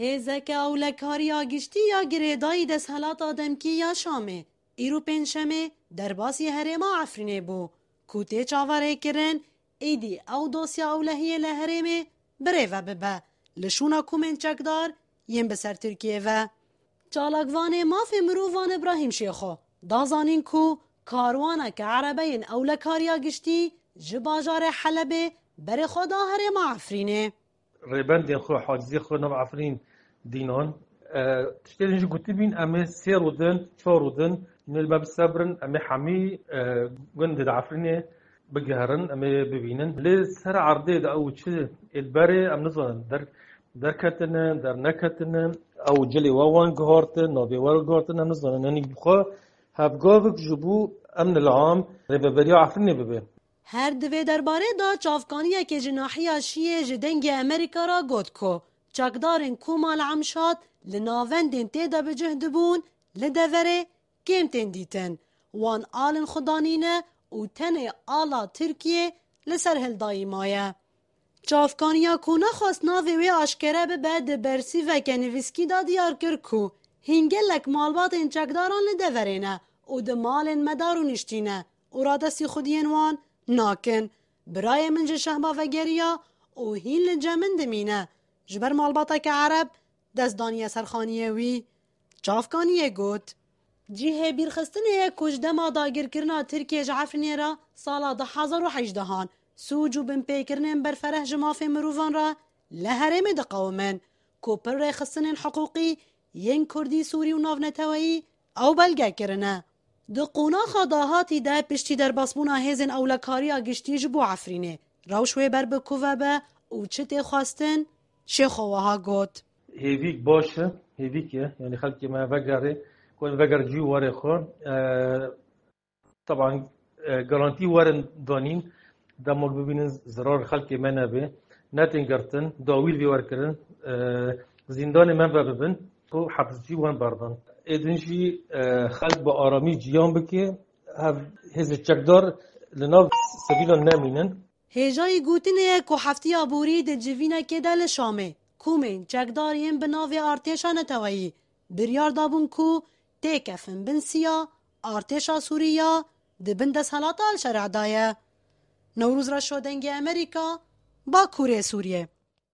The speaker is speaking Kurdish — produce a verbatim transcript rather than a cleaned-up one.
Hêzeke Ewlekariya Giştî ya Girêdayî Desthilata Demkî ya Şamê îro Pêncşemê derbasî herêma Efrînê bû, ku tê çaverêkirin êdî ew dosya ewlehiyê li herêmê birêve bibe li şûna komên çekdar yên bi ser Tirkiyê ve. Çalakvanê mafê mirovan Îbrahîm Şêxo da zanîn ku karwaneke erebeyên Ewlekariya Giştî ji bajarê Helebê berê xwe da herêma Efrînê. Rêbendên xwe, hacizê xwe nav Efrîn dînan. E, tiştê din jî gotibîn, em ê sê rûdin, çar rûdin, nê li me bisebirin, em ê hemî, e, gundê di Efrînê bigiherin, em ê bibînin. Lê ser erdê de ew çi ê li berê em nizanin. Der, derketine, derneketine, ew cilê we wan gihartin, navê we gihartin, em nizanin. Yanî bi xwe hevgavik ji bo emnil am rêveberiya Efrînê bibe. Her di vê derbarê de çavkaniyekê ji nahiya Şiyê ji Dengê Amerîka re got ku çekdarên Koma li Emşat li navendên tê de bi cih dibûn, li deverê kêm tên dîtin. Wan alin xwe danîne û tenê ala Tirkiyê li ser hildayî maye. Çavkaniya ku nexwest navê wê aşkere bibe, di bersîveke nivîskî de diyar kir ku hîn gelek malbatên çekdaran li deverê ne û di malên me de rûniştîne û radestî xwediyên wan nakin. Birayê min ji Şehba vegeriya û hîn li cem min dimîne. Ji ber malbateke Ereb dest daniye ser xaniyê wî. Çavkaniyê got, cihê bîrxistinê ye ku ji dema dagirkirina Tirkiyê ji Efrînê re sala du hezar û hejdeh an sûc û binpêkirinên berfereh ji mafê mirovan re li herêmê diqewimin, ku pir rêxistinên hiqûqî yên Kurdî, Sûrî û navneteweyî ew belge kirine. Di qonaxa dahatî de piştî derbasbûna hêzên ewlekariya giştî ji bo Efrînê, rewş wê ber bi ku ve be û çi tê xwestin, Şêxo wiha got. Hêvîk baş e, hêvîk e. Yanî xelkê me vegerê, ku em veger cî warê xwe. E, teban, e, garantî werin danîn, dema ku bibînin zirar xelkê me nebe. Netên girtin, dawî li vê wer kirin, e, zîndanê me ve bibin, ku hepscî wan berdan. Êdin jî, e, xelk bi aramî ciyan bike, hev hêzê çekdar li nav sivîlan nemînin. Hêjayî gotinê ye ku heftiya borî di civînekê de li Şamê komên çekdar yên bi navê artêşa neteweyî biryar dabûn ku têkefin bin siya artêşa Sûrî ya di bin desthilata El-Şerî de ye. Newrûz Reşo, Dengê Amerîka, Bakurê Sûriyê.